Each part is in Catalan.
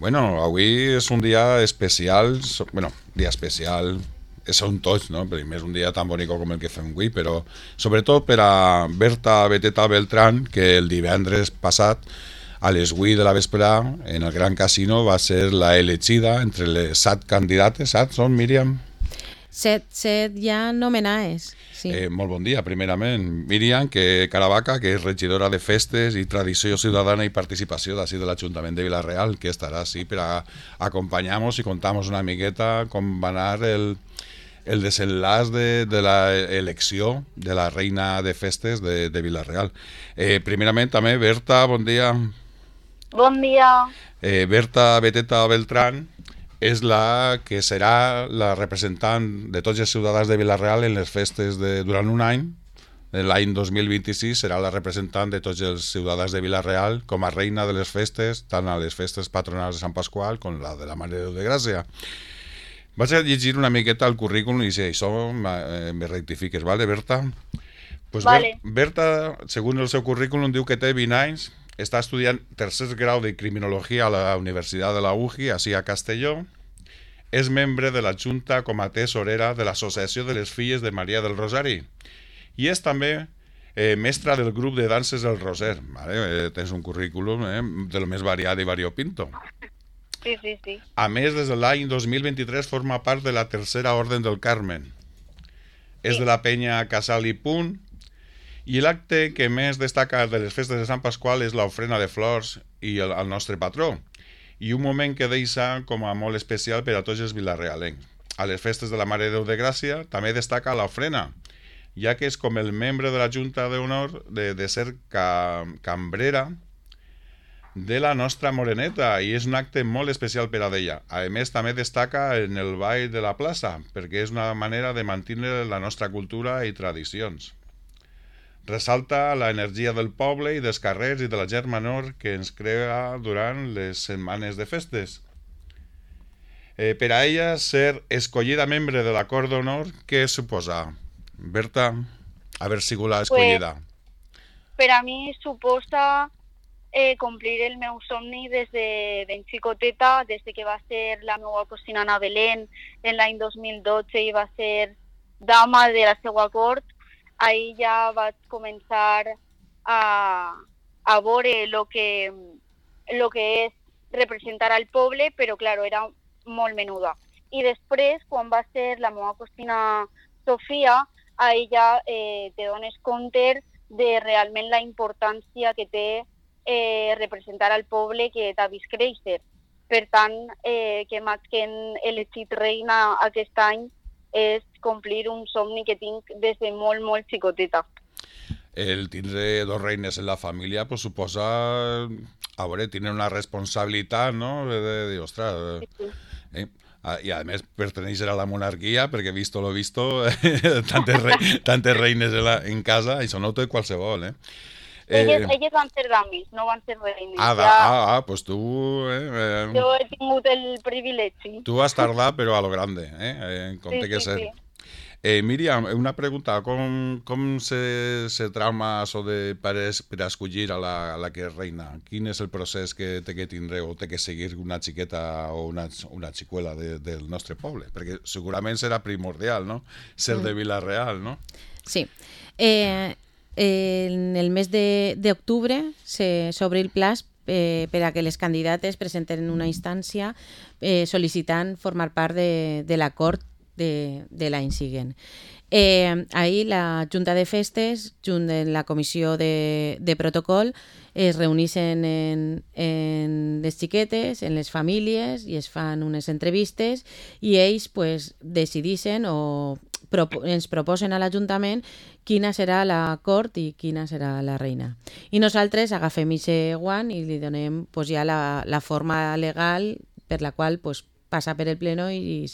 Bueno, avui és un dia especial, dia especial, són tots, no? Primer és un dia tan bonic com el que fem avui, però sobretot per a Berta Beteta Beltrán, que el divendres passat, a les 8 de la vesprà, en el Gran Casino, va ser la elegida entre les 7 candidates, saps? Són, Míriam? Set ja nomenades, sí. Molt bon dia, primerament. Míriam que Caravaca, que és regidora de Festes i Tradició Ciutadana i Participació d'ací de l'Ajuntament de Vila-real, que estarà així per a acompanyar-nos i contar-nos una miqueta com va anar el desenlaç de l'elecció de la reina de festes de Vila-real. Primerament també, Berta, bon dia. Bon dia. Berta Beteta Beltrán és la que serà la representant de tots els ciutadans de Vila-real en les festes durant un any. L'any 2026 serà la representant de tots els ciutadans de Vila-real com a reina de les festes, tant a les festes patronals de Sant Pasqual com la de la Mare de Déu de Gràcia. Vaig a llegir una miqueta el currículum i si això me rectifiques, vale, Berta? Pues Vale. Berta, segons el seu currículum, diu que té 20 anys, està estudiant tercer grau de Criminologia a la Universitat de la UJI, així a Castelló. És membre de la Junta com a tesorera de l'Associació de les Filles de Maria del Rosari. I és també mestra del grup de danses del Roser. Vale? Tens un currículum de lo més variat i variopinto. Sí. A més, des de l'any 2023 forma part de la Tercera Orden del Carmen. És de la penya Casal i Punt. I l'acte que més destaca de les festes de Sant Pasqual és l'ofrena de flors i el nostre patró. I un moment que deixa com a molt especial per a tots els vilarrealencs. A les festes de la Mare de Déu de Gràcia també destaca l'ofrena, ja que és com el membre de la Junta d'Honor de ser cambrera de la nostra moreneta, i és un acte molt especial per a ella. A més, també destaca en el ball de la plaça, perquè és una manera de mantenir la nostra cultura i tradicions. Ressalta la energia del poble i dels carrers i de la gent menor que ens crea durant les setmanes de festes. Per a ella, ser escollida membre de la Cort d'Honor, què suposa? Berta, haver sigut la escollida. Per a mi suposa complir el meu somni des de ben xicoteta, des que va ser la meva cosina Ana Belén en l'any 2012 i va ser dama de la seva cort. Ahí ja vaig començar a veure el que és representar al poble, però claro, era molt menuda. I després, quan va ser la meva cosina Sofia, ahí ja te dones compte de realment la importància que té representar al poble que t'ha vist créixer. Per tant, que m'hagin elegit reina aquest any és complir un somni que tinc des de molt, molt xicoteta. El tindre dos reines en la família pues, suposa, a veure, tindre una responsabilitat, no? De dir, ostres... Sí. I a més perteneixer a la monarquia, perquè visto lo visto, tantes reines en casa, això no ho té qualsevol, Elles van ser dames, no van ser reines. Pues tu... Jo he tingut el privilegi. Tu has tardat, però a lo grande, en compte que ser. Míriam, una pregunta, com se trauma això per escollir a la que és reina? Quin és el procés que té que tindre o té que seguir una xiqueta o una xicuela del nostre poble? Perquè segurament serà primordial, no? Ser de Vila-real, no? Sí. En el mes d'octubre s'obre el plaç per a que les candidates presenten una instància sol·licitant formar part de la cort de l'any següent. Ahir la Junta de Festes, junt amb la comissió de protocol, es reuneixen en les xiquetes, en les famílies, i es fan unes entrevistes i ells pues, decideixen o ens proposen a l'Ajuntament quina serà la cort i quina serà la reina. I nosaltres agafem aquest guant i li donem pues, ja la forma legal per la qual pues, passa per el pleno i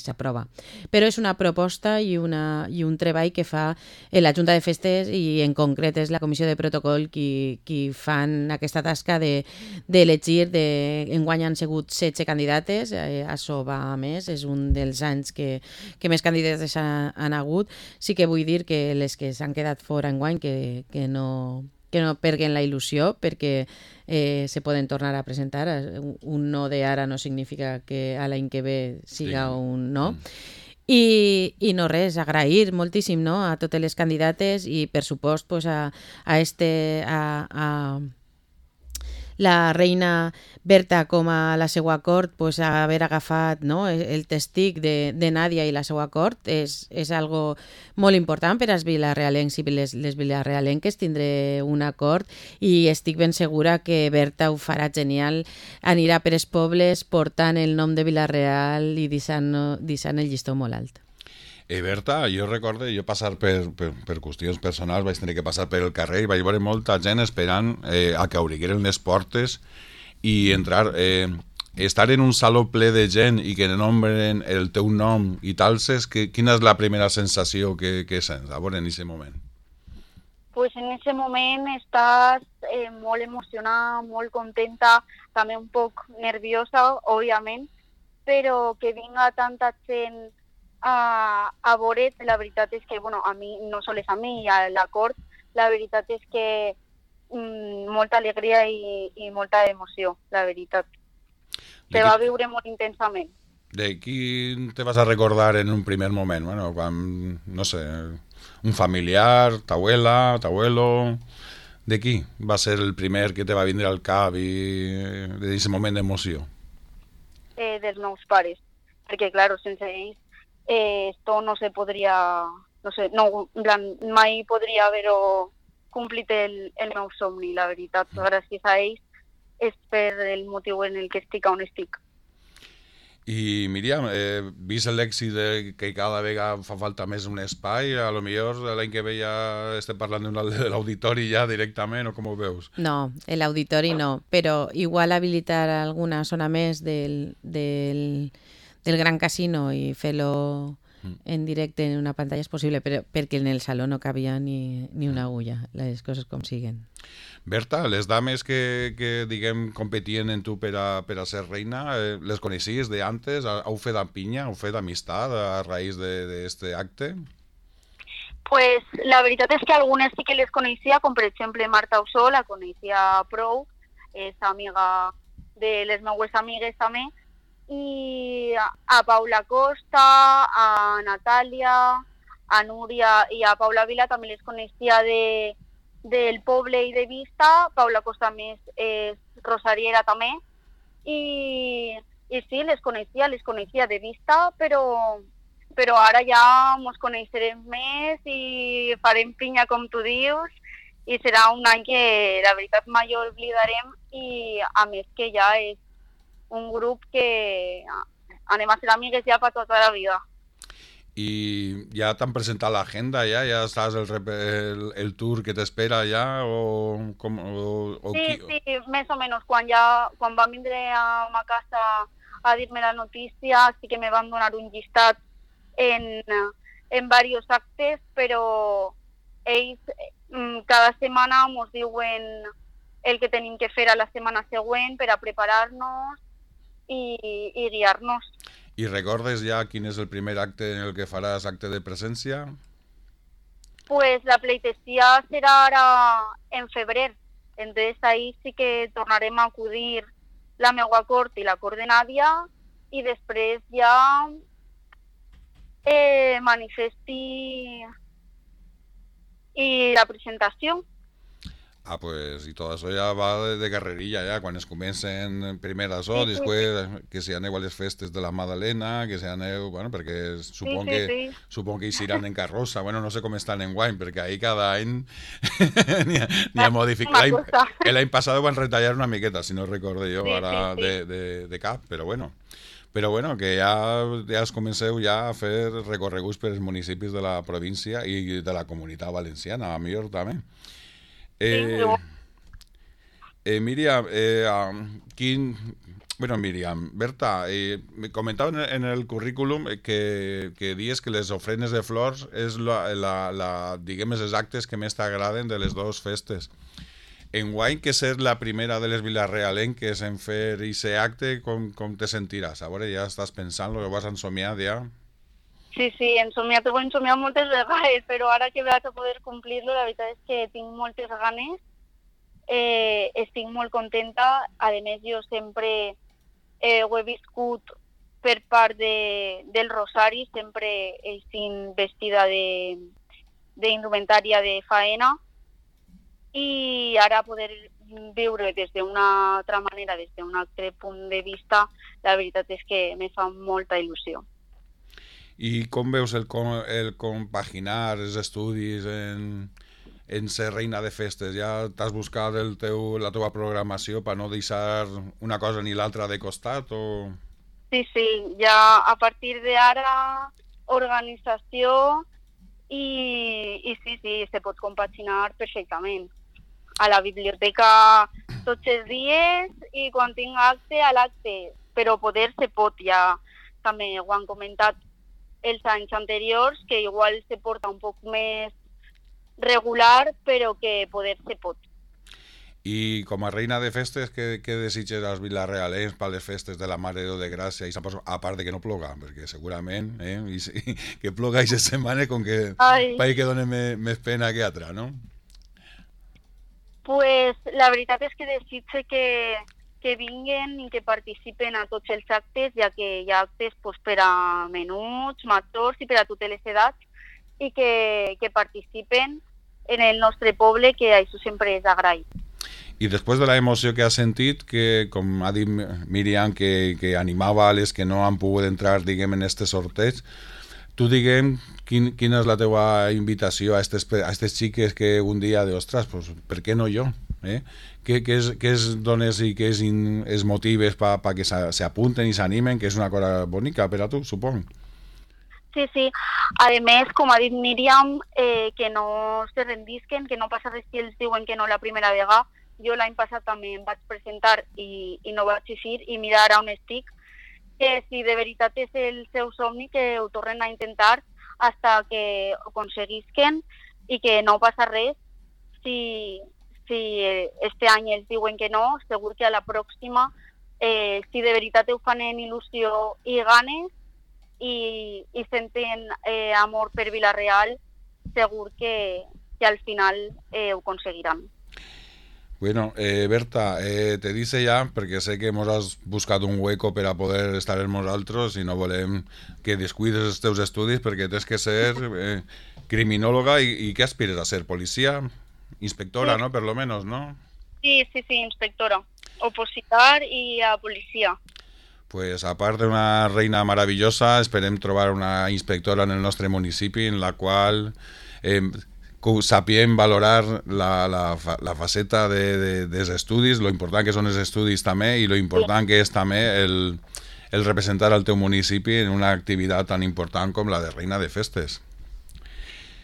s'aprova. Però és una proposta i un treball que fa la Junta de Festes i en concret és la Comissió de Protocol qui fan aquesta tasca d'elegir. Enguany han sigut 16 candidates, això va a més, és un dels anys que més candidates han hagut. Sí que vull dir que les que s'han quedat fora enguany que que no perguen la il·lusió, perquè se poden tornar a presentar. Un no de ara no significa que a l'any que ve siga un no. I no res, agrair moltíssim, no?, a totes les candidates i, per supost, pues, a la reina Berta com a la seva cort, pues, haver agafat, no, el testig de Nàdia i la seva cort és algo molt important per als vilarealencs i les vilarealenques tindre un acord, i estic ben segura que Berta ho farà genial, anirà per els pobles portant el nom de Vila-real i deixant el llistó molt alt. Berta, jo recordo, jo passar per qüestions personals vaig tenir que passar per el carrer i vaig veure molta gent esperant a que obrigueren les portes i entrar, estar en un saló ple de gent i que nombren el teu nom i tal, quina és la primera sensació que sents a veure en aquest moment? Pues en ese moment estàs molt emocionada, molt contenta, també un poc nerviosa, òbviament, però que vinga tanta gent a veure, la veritat és que, bueno, a mi, no sols a mi, i a la cort, la veritat és que molta alegria i molta emoció, la veritat. Se va viure molt intensament. De qui te vas a recordar en un primer moment? Bueno, quan, no sé, un familiar, t'abuela, t'abuelo... De qui va ser el primer que te va vindre al cap i d'aquest moment d'emoció? Dels meus pares, perquè, clar, sense ells esto no se podria, no sé, no, en plan, mai podria haver-ho complit el meu somni, la veritat. Gràcies a ells és per el motiu en el que estic on estic. I Míriam, vist l'èxit que cada vegada fa falta més un espai, a lo millor l'any que ve ja estem parlant de l'auditori ja directament, o com ho veus? No, l'auditori no, però igual habilitar alguna zona més del Gran Casino i fer-lo en directe en una pantalla és possible, però perquè en el saló no cabia ni una agulla, les coses com siguen. Berta, les dames que diguem, competien en tu per a ser reina, les coneixies de antes? Heu fet pinya, heu fet amistat a raïs d'aquest acte? Pues la veritat és que algunes sí que les coneixia, com per exemple Marta Ossó, la coneixia prou, és amiga de les meues amigues també, i a Paula Costa, a Natàlia, a Núria i a Paula Vila també les coneixia del poble i de vista. Paula Costa més és rosariera també, i sí, les coneixia de vista, però ara ja ens coneixerem més i farem pinya, com tu dius, i serà un any que la veritat mai oblidarem, i a més que ja és un grup que anem a ser amigues ja per tota la vida. I ja t'han presentat l'agenda, ja saps el tour que t'espera ja, Sí, més o menys. Quan van vindre a ma casa a dir-me la notícia, sí que me van donar un llistat en diversos actes, però ells cada setmana ens diuen el que tenim que fer a la setmana següent per a preparar-nos i guiar-nos. I recordes ja quin és el primer acte en el que faràs acte de presència? Pues la pleitesía serà ara en febrer, entonces ahí sí que tornarem a acudir la meua cort i la cort de Nàdia, i després ja manifesti i la presentació. Pues, i tot això ja va de carrerilla, ja, quan es comencen primer això, després que si aneu a les festes de la Madalena, que si aneu, bueno, perquè supon que hi seran en carrossa, bueno, no sé com estan en guany, perquè ahí cada any n'hi ha modificat. L'any passat van retallar una miqueta, si no recordo jo, ara de cap, però bueno, que ja es comenceu ja a fer recorreguts per els municipis de la província i de la comunitat valenciana, a millor també. Míriam, Míriam, Berta, me comentava en el currículum que dius que les ofrenes de flors és diguem, els actes que més t'agraden de les dues festes. Enguany, que ser la primera de les vilarealenques en fer aquest acte, com te sentiràs? A veure, ja estàs pensant-lo, ho vas ensomiar ja? Sí, t'ho he ensomiat moltes vegades, però ara que vaig a poder complir-lo, la veritat és que tinc moltes ganes estic molt contenta. A més, jo sempre ho he viscut per part del Rosari, sempre he estat vestida d'indumentària de faena, i ara poder viure des d'una altra manera, des d'un altre punt de vista, la veritat és que me fa molta il·lusió. I com veus el compaginar els estudis en ser reina de festes? Ja t'has buscat la teva programació per no deixar una cosa ni l'altra de costat? O... Sí, ja a partir d'ara organització i sí, se pot compaginar perfectament. A la biblioteca tots els dies i quan tinc acte, a l'acte, però poder se pot, ja també ho han comentat els anys anteriors, que igual se porta un poc més regular, però que poder se pot. I com a reina de festes, què desitges als vilarealens per les festes de la Mare de Déu de Gràcia? A part de que no ploga, perquè segurament que ploga aquesta setmana com que pareix que dona més pena que altra, no? Pues la veritat és que desitge que vinguen i que participen a tots els actes, ja que hi ha actes pues, per a menuts, majors i per a totes les edats, i que participen en el nostre poble, que això sempre és agraït. I després de la emoció que has sentit, que com ha dit Míriam, que animava a les que no han pogut entrar, diguem, en este sorteig, tu, diguem, quina és la teva invitació a aquestes xiques que un dia de, ostres, pues, per què no jo? Què es dones i què es motives perquè s'apunten i s'animen, que és una cosa bonica per a tu, supong? Sí. A més, com ha dit Míriam, que no se rendisquen, que no passa res si ells diuen que no la primera vegada. Jo l'any passat també em vaig presentar i no vaig eixir, i mira ara on estic, que si de veritat és el seu somni, que ho tornen a intentar fins que ho aconseguisquen, i que no passa res si este any ells diuen que no. Segur que a la pròxima, si de veritat ho fan en il·lusió i ganes i senten amor per Vila-real, segur que al final ho aconseguiran. Bueno, Berta, te dice ya, perquè sé que hemos has buscat un hueco per a poder estar amb nosaltres i no volem que descuides els teus estudis, perquè tens que ser criminòloga i què aspires a ser? Policia? Inspectora, sí. ¿No? Per lo menos, ¿no? Sí, inspectora. Opositar i a policia. Pues a part d'una reina maravillosa, esperem trobar una inspectora en el nostre municipi en la qual sapiem valorar la faceta dels estudis, lo important que són els estudis també i lo important que és també el representar el teu municipi en una activitat tan important com la de reina de festes.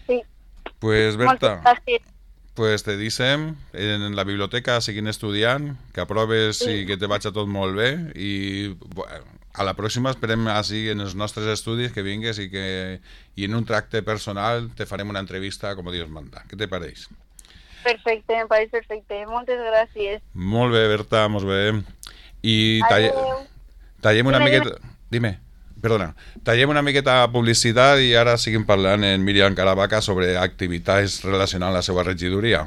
Sí. Pues Berta, pues te dicem en la biblioteca seguint estudiant, que aproves i que te vagi tot molt bé, i a la pròxima esperem així en els nostres estudis que vingues i en un tracte personal te farem una entrevista com Dios manda. Què te pareix? Perfecte, em pareix perfecte. Moltes gràcies. Molt bé, Berta, molt bé. I tallem una miqueta... Dime, perdona. Tallem una miqueta publicitat i ara seguim parlant en Míriam Caravaca sobre activitats relacionades amb la seva regidoria.